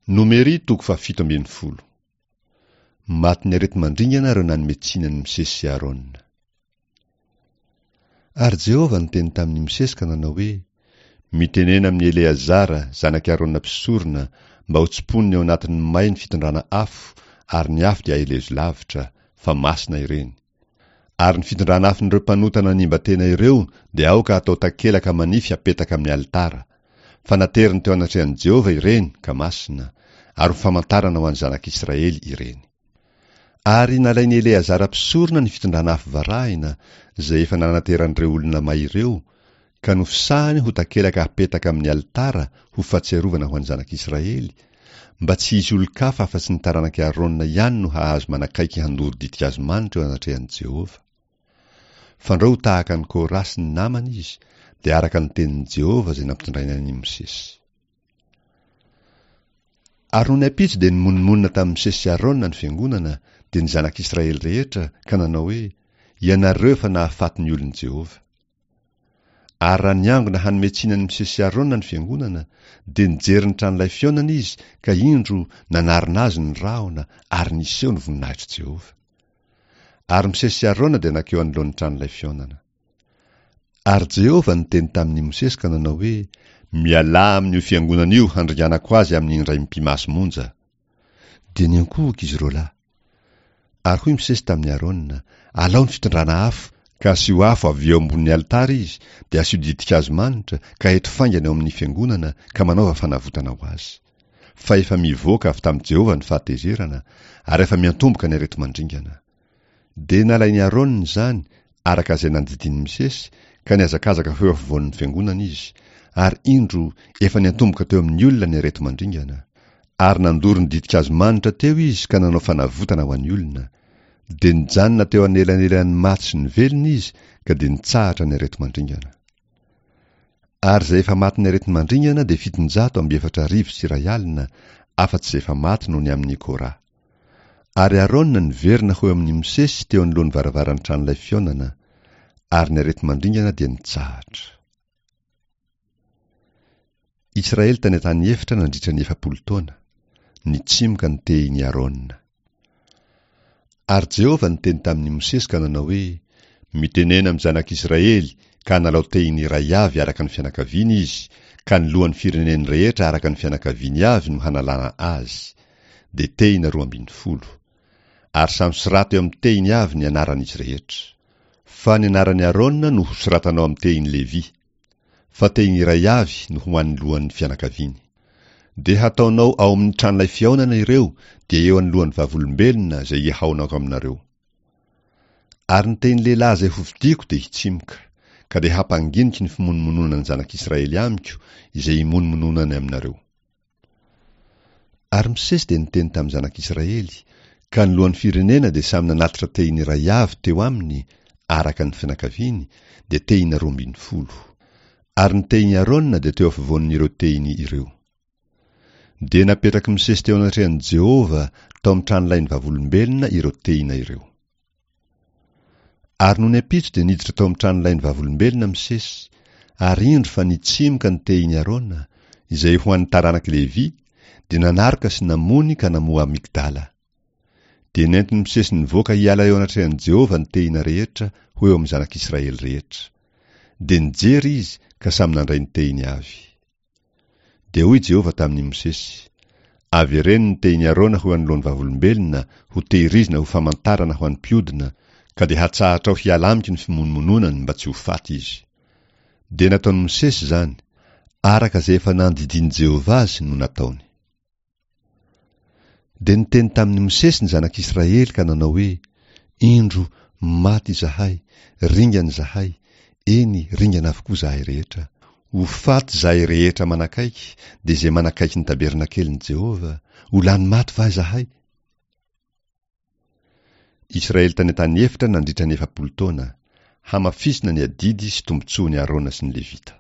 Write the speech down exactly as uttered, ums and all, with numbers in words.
Nomery toko fahafito ambin'ny folo. Matin'ny areti-mandringana ireo nanome tsiny an'i Mosesy sy Arona. Ary Jehovah niteny tamin'i Mosesy ka nanao hoe, Mitenena amin'i Eleazara, zanak'i Arona mpisorona, mba ho tsimponiny ao anatin'ny may ny fitondrana afo, ary ny afo dia aelezo lavitra, fa masina ireny. Ary ny fitondrana afon'ireo mpanota nanimba tena ireo dia aoka hatao takelaka manify hapetaka amin'ny alitara. Fa nateriny teo anatrehan'i Jehovah ireny, ka masina, ary ho famantarana ho an'ny zanak'Israely ireny. Ary nalain'i Eleazara mpisorona ny fitondrana afo varahina, izay efa nanateran'ireo olona may ireo, ka nofisahany ho takelaka hapetaka amin'ny alitara ho fahatsiarovana ho an'ny zanak'Israely, mba tsy hisy olon-kafa afa-tsy ny taranak'i Arona ihany no hahazo manakaiky handoro ditin-kazo manitra eo anatrehan'i Jehovah. Fandrao ho tahaka an'i Kora sy ny namany izy, dia araka ny tenin'i Jehovah izay nampitondrainy an'i Mosesy. Ary nony ampitso dia nimonomonona tamin'i Mosesy sy Arona ny fiangonana, dia ny zanak'Israely rehetra, ka nanao hoe, Ianareo efa nahafaty ny olon'i Jehovah. Ary raha niangona hanome tsiny an'i Mosesy sy Arona ny fiangonana, dia nijery ny tranolay fihaonana izy, ka indro, nanarona azy ny rahona, ary niseho ny voninahitr'i Jehovah. Ary Mosesy sy Arona dia nankeo anoloan'ny tranolay fihaonana. Ary Jehovah niteny tamin'i Mosesy ka nanao hoe, Mialà amin'io fiangonana io handringanako azy amin'ny indray mipi-maso monja. Dia niankohoka izy roa lahy. Ary hoy Mosesy tamin'i Arona, Alao ny fitondrana afo, ka asio afo avy eo ambonin'ny alitara izy, dia asio ditin-kazo manitra, ka eto faingana eo amin'ny fiangonana, ka manaova fanavotana ho azy. Fa efa mivoaka avy tamin'i Jehovah ny fahatezerana, ary efa miantomboka ny areti-mandringana. Dia nalain'i Arona izany, araka izay nandidian'i Mosesy, ka nihazakazaka ho eo afovoan'ny fiangonana izy, ary indro, efa niantomboka teo amin'ny olona ny areti-mandringana. Ary nandoro ny ditin-kazo manitra teo izy ka nanao fanavotana ho an'ny olona. Dia nijanona teo anelanelan'ny maty sy ny velona izy, ka dia nitsahatra ny areti-mandringana. Ary izay efa matin'ny areti-mandringana dia fitonjato amby efatra arivo sy iray alina, afa-tsy izay efa maty noho ny amin'i Kora. Ary Arona niverina ho eo amin'i Mosesy teo anoloan'ny varavaran'ny tranolay fihaonana, ary ny areti-mandringana dia nitsahatra. Israely tany an-tany efitra nandritra ny efapolo taona, nitsimoka ny tehin'i Arona. Ary Jehovah niteny tamin'i Mosesy ka nanao hoe, Mitenena amin'ny zanak'Israely, ka analao tehiny iray avy araka ny fianakaviany izy, ka ny lohan'ny fireneny rehetra araka ny fianakaviany avy no hanalana azy, dia tehina roa ambin'ny folo. Ary samy soraty eo amin'ny tehiny avy ny anaran'izy rehetra. Fa ny anaran'i Arona no hosoratanao amin'ny tehin'i Levy. Fa tehiny iray avy no ho an'ny lohan'ny fianakaviany. Dia hataonao ao amin'ny tranolay fihaonana ireo, dia eo anoloan'ny vavolombelona izay hihaonako aminareo. Ary ny tehin'ny lehilahy izay hofidiako dia hitsimoka, ka dia hampanginiko ny fimonomononan'ny zanak'Israely amiko, izay himonomononany aminareo. Ary Mosesy dia niteny tamin'ny zanak'Israely, ka ny lohan'ny firenena dia samy nanatitra tehiny iray avy teo aminy, araka ny fianakaviany, dia tehina roa ambin'ny folo. Ary ny tehin'i Arona dia teo afovoan'ireo tehiny ireo. Dia napetrak'i Mosesy teo anatrehan'i Jehovah tao amin'ny tranolain'ny vavolombelona ireo tehina ireo. Ary nony ampitso dia niditra tao amin'ny tranolain'ny vavolombelona Mosesy, ary indro fa nitsimoka ny tehin'i Arona, izay ho an'ny taranak'i Levy, dia nanaroka sy namony ka namoha amygdala. Dia nentin'i Mosesy nivoaka hiala eo anatrehan'i Jehovah ny tehina rehetra ho eo amin'ny zanak'Israely rehetra. Dia nijery izy ka samy nandray ny tehiny avy. Dia hoy Jehovah tamin'i Mosesy, Avereno ny tehin'i Arona ho anoloan'ny vavolombelona, ho tehirizina ho famantarana ho an'ny mpiodina, ka dia hatsahatrao hiala amiko ny fimonomononany mba tsy ho faty izy. Dia nataon'i Mosesy izany, araka izay efa nandidian'i Jehovah azy no nataony. Dia niteny tamin'i Mosesy ny zanak'Israely ka nanao hoe, Indro, maty izahay, ringana izahay, eny, ringana avokoa izahay rehetra. Ho faty izahay rehetra manakaiky, dia izay manakaiky ny tabernakelin'i Jehovah, ho lany maty va izahay? Israely tany an-tany efitra nandritra ny efapolo taona, hamafisina ny adidy sy tombontsoan'i Arona sy ny Levita.